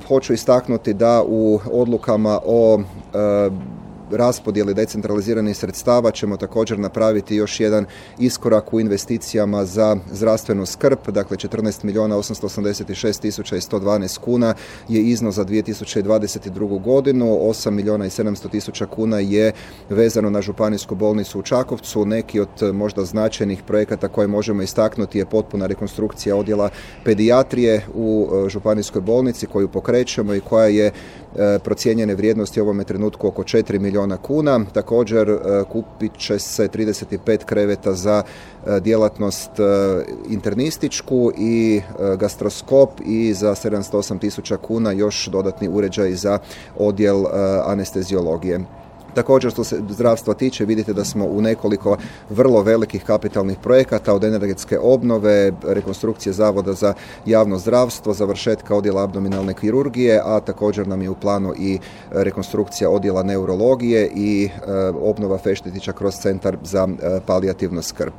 Hoću istaknuti da u odlukama o raspodjeli decentraliziranih sredstava ćemo također napraviti još jedan iskorak u investicijama za zdravstvenu skrb. Dakle, 14.886.112 kuna je iznos za 2022. godinu, 8.700.000 kuna je vezano na županijsku bolnicu u Čakovcu. Neki od možda značajnih projekata koje možemo istaknuti je potpuna rekonstrukcija odjela pedijatrije u županijskoj bolnici koju pokrećemo i koja je procijenjene vrijednosti u ovome trenutku oko 4 milijuna kuna. Također kupit će se 35 kreveta za djelatnost internističku i gastroskop i za 708.000 kuna još dodatni uređaj za odjel anesteziologije. Također, što se zdravstva tiče, vidite da smo u nekoliko vrlo velikih kapitalnih projekata, od energetske obnove, rekonstrukcije Zavoda za javno zdravstvo, završetka odjela abdominalne kirurgije, a također nam je u planu i rekonstrukcija odjela neurologije i obnova Feštetića kroz centar za palijativnu skrb.